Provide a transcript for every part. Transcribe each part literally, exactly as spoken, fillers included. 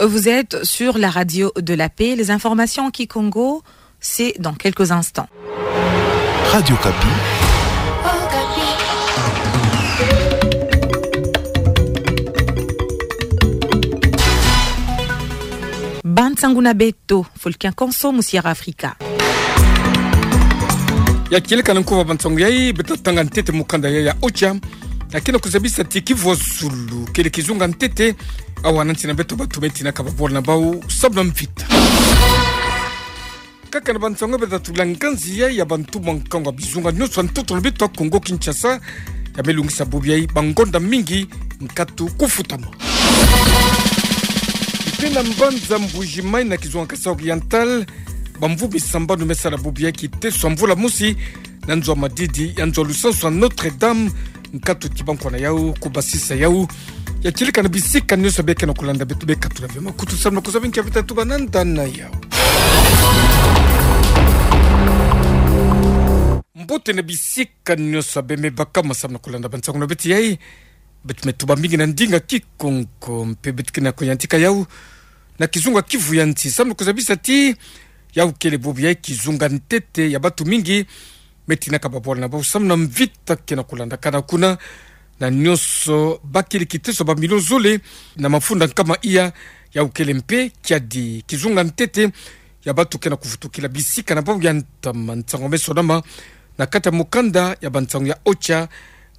Vous êtes sur la radio de la paix. Les informations en kikongo, c'est dans quelques instants. Radio Okapi. Bansangu na beto, Fulkin Konso, mu Sierra Africa. Ya kieleka na nkuva bansangu yai, beta tanga ntete mukanda yai ya OCHA. Ya kena kuzabisa ti kivu ya zulu kele kizunga ntete, awa na nsi na beto batu me tinaka babwala na bau sababu na mvita. Kaka na bansangu beta tula nganzi yai ya bantu mwa nkangu ya bizunga nyonso ya ntoto na beto ya Kongo Kinshasa, ya me lungisa bubu yai bangonda mingi nkatu kufutama. Mpe na mbanza Mbuji-Mayi na kizunga Kasaï Oriental, bamvumbi sambanu me sala bubu yai kiteso ya mvula mosi na nzo ya madidi ya nzo ya lusansu ya Notre-Dame, nkatu ti bankwa na yau, kubasisa yau. Ya kieleka na bisika nyonso beke na kulanda beto, beka tula ve makutu sababu na kuzaba nkia beta tuba na nda na yau. Mbote na bisika nyonso be me baka ma sababu na kulanda bansangu na beto yai. Beto me tuba mingi na ndinga Kikongo, mpe beto kena kuyantika yau na kizunga kivu ya nsi sababu na kuzabisa ti yau kele bubu yai kizunga ntete ya batu mingi me tinaka babwala na bau sababu na mvita kena kulandakana kuna, na nyonso bakele kiteso bamilio zole na mafunda nkama iya. Yau kele mpe kiadi kizunga ntete ya batu kena kuvutukila bisika na bau ya ntama. Nsangu me sonama na kati ya mukanda ya bansangu ya OCHA,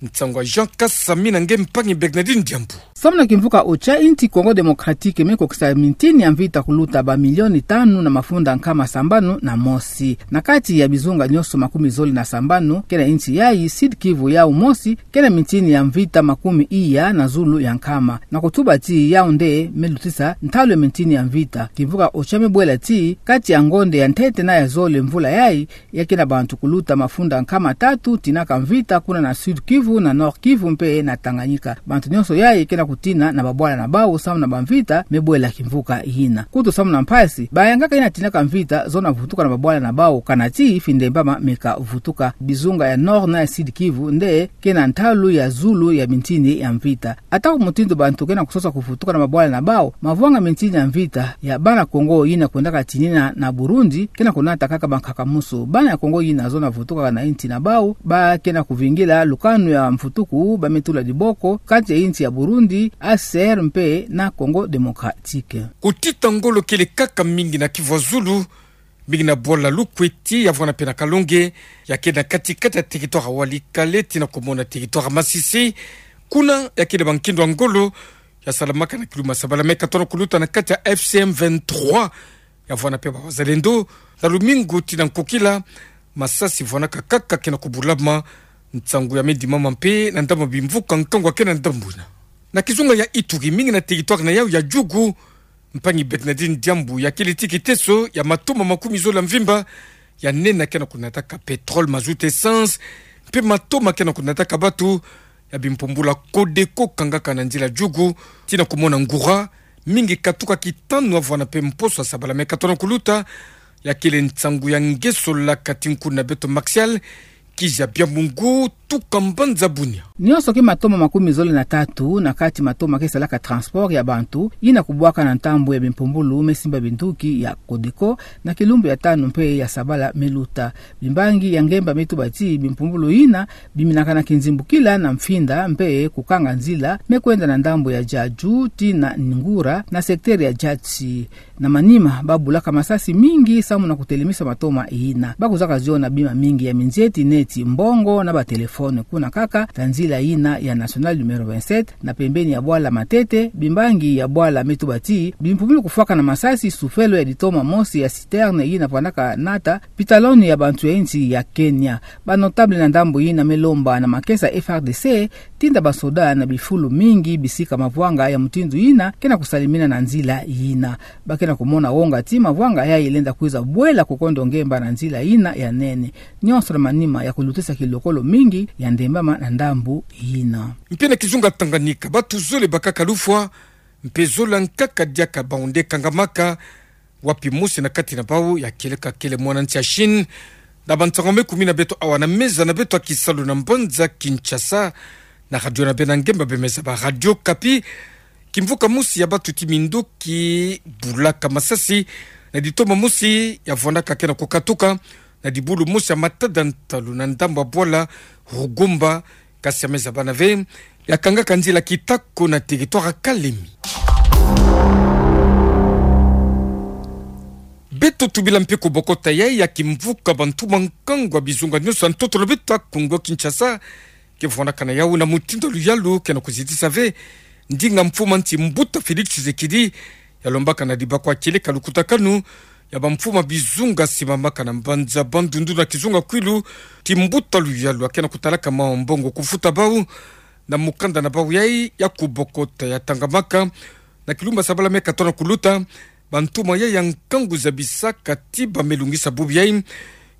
nsangu ya Jean Kasami na nge mpangi Bernardine Diambu. Sababu na kimvuka OCHA, insi Congo Démocratique me kokisa mintini ya mvita kuluta bamilioni tanu na mafunda nkama sambanu na mosi. Na kati ya bizunga nyonso makumi zole na sambanu kena insi yai, Sud-Kivu yau mosi kena mintini ya mvita makumi iya na zulu ya nkama. Na kutuba ti yau nde me lutisa ntalu ya mintini ya mvita. Kimvuka OCHA me bwela ti kati ya ngonde ya ntete na ya zole mvula yai, ya kena bantu kuluta mafunda nkama tatu tinaka mvita kuna na Sud-Kivu, na Nord-Kivu mpe na Tanganyika. Bantu nyonso yai kena kutina na babwala na bau sababu na bamvita me bwela kimvuka yina. Kutu sababu na mpasi, bayangaka yina tinaka mvita zona vutuka na babwala na bau, kana ti findembama me ka vutuka. Bizunga ya Nord na ya Sud-Kivu nde kena ntalu ya zulu ya mintini ya mvita. Ata ku mutindu bantu kena kusosa kuvutuka na babwala na bau, mavwanga mintini ya mvita ya bana Kongo yina kwendaka tinina na Burundi kena kunata kaka bankaka musu. Bana ya Kongo yina zona vutuka na insi na bau, ba kena kuvingila lukanu ya mvutuku, ba me tula diboko kati ya insi ya Burundi, A C R mpe na Congo Démocratique. Kutita ngolo kele kaka mingi na Kivu ya zulu, mingi na bwala Lukweti, ya vwanda mpe na Kalonge, ya kele na kati-kati ya territoire ya Walikale tii na kumona territoire ya Masisi. Kuna ya kele bankindu ya ngolo ya salamaka na kiluma sabala mètre tano kuluta na kati ya F C M vingt-trois, ya vwanda mpe ba wazalendo. Na lumingu tii na nkokila, masasi vwandaka kaka kena kubulama, nsangu ya me dimama mpe na ndambu ya bimvuka nkangu ya kena ndambu yina. Na kizunga ya Ituri, mingi na territoire na yau ya Djugu, mpangi Bernardine Diambu, ya kele tii kiteso ya matoma makumi zole ya mvimba, ya nene kena kunataka pétrole, mazout, essence, mpe matoma kena kunataka batu, ya bimpumbulu ya Codeco kangaka na nzila Djugu tii na kumona Ngoura, mingi katuka kitanu ya vwanda mpe mposo ya sabala mètre tano kuluta. Ya kele nsangu ya ngeso la kati nkundu na beto Martial Kizabia Mungu, tuka mbanza Bunia. Nyonso ke matoma makumi zole na tatu na kati matoma ke salaka transport ya bantu, yina kubwaka na ntambu ya bimpumbulu me simba binduki ya Codeco, na kilumbu ya tanu mpe ya sabala me luta. Bimbangi ya ngemba me tuba ti bimpumbulu yina biminaka na kinzimbukila na mfinda mpe kukanga nzila me kwenda na ndambu ya Djadju tii na Ngoura na secteur ya Djatsi. Na manima, ba bulaka masasi mingi samu na kutelemisa matoma yina. Ba kuzaka ziona bima mingi ya minzieti neti mbongo na ba téléphone kuna kaka ta nzila yina ya nationale numéro vingt-sept, na pembeni ya bwala Matete, bimbangi ya bwala me tuba ti bimpumbulu kufwaka na masasi sufelo ya ditoma mosi ya citerne yina vwandaka nata pitaloni ya bantu ya insi ya Kenya. Ba notable na ndambu yina me lomba na makesa F R D C tinda ba soda na bifulu mingi bisika mavwanga ya mutindu yina kena kusalimina na nzila yina. Ba kena kumona wonga ti mavwanga yai lenda kwiza bwela kukondo ngemba na nzila yina ya nene. Nyonso na manima ya kulutisa kilokolo mingi ya ndembama na ndambu yina. Mpe na kizunga Tanganyika, batu zole bakaka lufwa, mpe zola nkaka diaka bau nde kangamaka, wapi mosi na kati na bau ya kieleka kele mwana nsi ya Chine. Na bansangu me kumina beto awa na meza na beto ya kisalu na mbanza Kinshasa, na radio na beno ya ngemba bemeza ba Radio Okapi, Kimvuka mosi ya batu ti minduki bulaka masasi na ditoma mosi ya vwanaka ke na kukatuka na dibulu mosi ya matada ntalu na ndambu ya bwala Rugomba, kasi ya meza bana ve, ya kangaka nzila kitako na territoire ya Kalemi. Beto tubila mpe kubokota yayi ya kimvuka bantuma nkangu ya bizunga nyonso ya ntoto na beto ya Kongo Kinshasa, ke vwanakana yawu na mutindu ya luyalu ke na kuzitisa ve ndinga mfuma nsi mbuta Félix Tshisekedi ya lombaka na dibakwa kieleka lukutakanu ya bamfuma bizunga simamaka na mbanza Bandundu na kizunga Kwilu, ti mbuta luyalu ya ke na kutalaka mawu mbongo kufuta bawu. Na mukanda na bawu yayi ya kubokota ya tangamaka na kilumbu ya sabala meka tona kuluta, bantuma yayi ya nkangu zabisaka ti ba me lungisa bubu yayi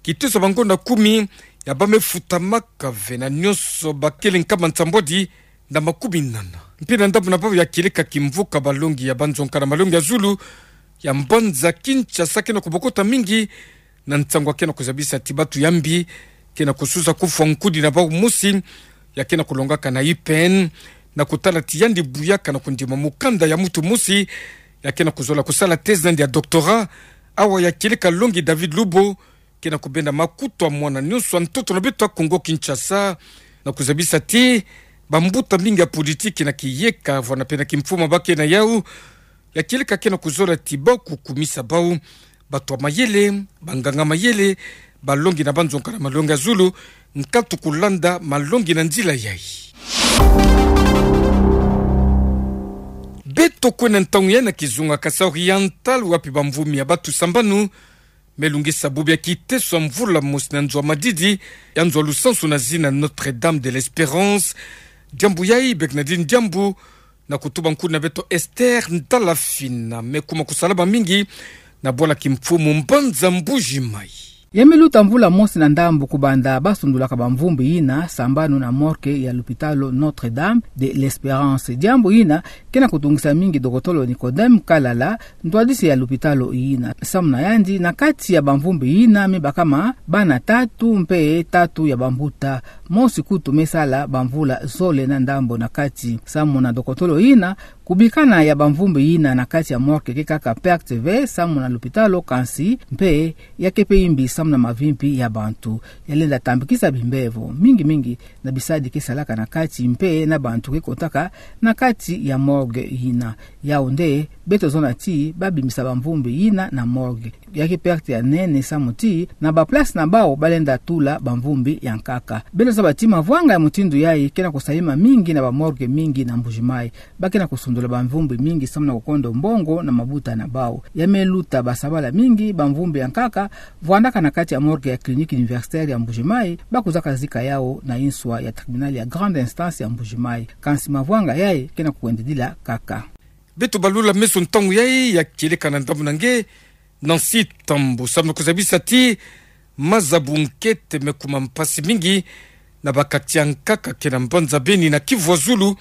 kiteso ya bangonda kumi ya ba me futamaka ve na nyonso bakele nkama nsambwadi na makumi nana. Mpe na ndambu na bawu ya kieleka kimvuka balongi ya banzonka na malongi ya zulu ya mbanza Kinshasa ke na kubokota mingi na nsangu ya ke na kuzabisa ti batu ya mbi ke na kususa kufwa nkudi na bawu mosi ya ke na kulongaka na I P N, na kutala ti yandi buyaka na kundima mukanda ya mutu mosi ya ke na kuzola kusala thèse na yandi ya doctorat, awa ya kieleka longi David Lubo ke na kubenda makutu ya mwana nyonso ya ntoto na beto ya Kongo Kinshasa, na kuzabisa ti bambuta mingi ya politiki na kiyeka vwana mpe na kimfuma ba ke na yawu, ya kieleka ke na kuzola ti bawu kukumisa bawu batu ya mayele, banganga mayele, balongi na banzonka na malongi ya zulu, nkatu kulanda malongi na nzila yayi. Beto kwenda ntangu yayi na kizunga Kasaï Oriental, wapi bamvumi ya batu sambanu me lungisa bubu ya kiteso ya mvula mosi na nzo ya madidi ya nzo ya lusansu na zina Notre-Dame de l'Espérance. Diambu yayi beka na dini diambu na kutuba nkudi na beto Esther Ndalafina, me kuma kusalama mingi na bwala kimfumu mbanza Mbuji-Mayi. Ya me luta mvula mosi na ndambu kubanda ba sundulaka bamvumbi yina sambanu na morgue ya lupitalu Notre-Dame de l'Espérance. Diambu yina ke na kutungisa mingi dokotolo Nicodème Kalala, ntwadisi ya lupitalu yina. Samu na yandi, na kati ya bamvumbi yina me bakama bana tatu mpe tatu ya bambuta, mosi kutu me sala bamvula zole na ndambu na kati. Samu na dokotolo yina, kubikana ya bamvumbi yina na kati ya morgue ke kaka perte ve samu na lupitalu, kansi mpe ya ke mpe imbi samu na mavimpi ya bantu. Ya lenda tambikisa bimbevo mingi mingi na bisadi ke salaka na kati mpe na bantu ke kotaka na kati ya morgue yina. Yau nde beto zona ti ba bimbisa bamvumbi yina na morgue. Ya ke perte ya nene samu ti na baplace na bau ba lenda tula bamvumbi ya nkaka. Beto zaba ti mavwanga ya mutindu yayi ke na kusalema mingi na bamorgue mingi na Mbuji-Mayi. Ba ke na kusundula bamvumbi mingi samu na kukondo mbongo na mabuta na bau. Ya me luta basabala mingi, bamvumbi ya nkaka vwandaka na kati ya morgue ya Clinique Universitaire ya Mbuji-Mayi, ba kuzaka zika yau na inswa ya tribunal ya grande instance ya Mbuji-Mayi. Kansi mavwanga yayi ke na kuwendidila kaka. Beto balula meso ntangu yayi ya kieleka na ndambu na nge, Nancy Tambu, samu na kuzabisa ti maza bunkete me kuma mpasi mingi na ba quartier ya nkaka ke na mbanza Beni na Kivu ya Zulu,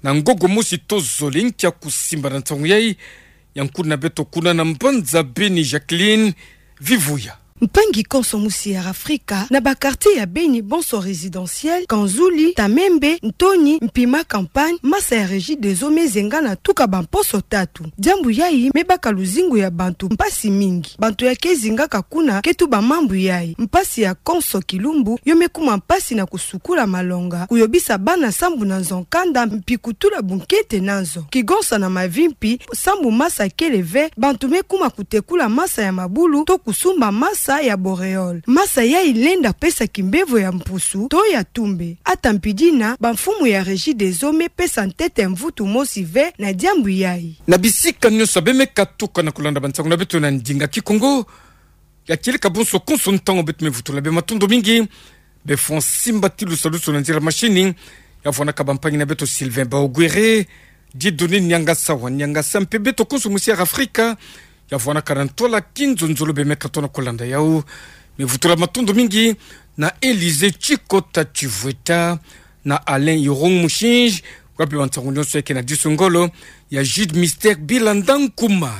na ngongo mosi tozole nkia kusimba na ntangu yayi ya nkudi na beto kuna na mbanza Beni, Jacqueline Vivuya. Mpangi konso musi ya Afrika, na ba quartier ya Beni bonso résidentiel, Kanzuli, Tamembe, Ntoni, Mpima Campagne, masa ya Regideso me zengana tuka bamposo tatu. Diambu yayi me baka luzingu ya bantu mpasi mingi. Bantu ya ke zingaka kuna ke tuba mambu yayi. Mpasi ya konso kilumbu yo me kuma mpasi na kusukula malonga, kuyobisa bana sambu na nzo nkanda, mpi kutula bunkete na nzo. Kigonsa na mavimpi, sambu masa kele ve, bantu me kuma kutekula masa ya mabulu to kusumba masa ya Boréole. Masa yayi lenda pesa kimbevo ya mpusu to ya tumbe. Ata mpi dina, bamfumu ya Regideso me pesa ntete mvutu mosi ve na diambu yayi. Na bisika nyonso be me katuka na kulanda bansangu na beto na ndinga Kikongo, ya kieleka bonso konso ntangu beto me vutula be matondo mingi. Be fwa nsimba ti lusalusu na nzila machine, ya vwanaka bampangi na beto Sylvain Baogwere, Dieudonné Niangasa wa Niangasa, mpe beto konso musi ya Afrika, ya vwanaka na ntwala kinzonzolo be me katono kulanda yau. Me vutula matondo mingi na Élysée Tshikota Tshivweta, na Alain Irung Mushinji, wapi bansangu nyonso ya ke na disu ngolo, ya Jude Mister Bilanda Nkuma.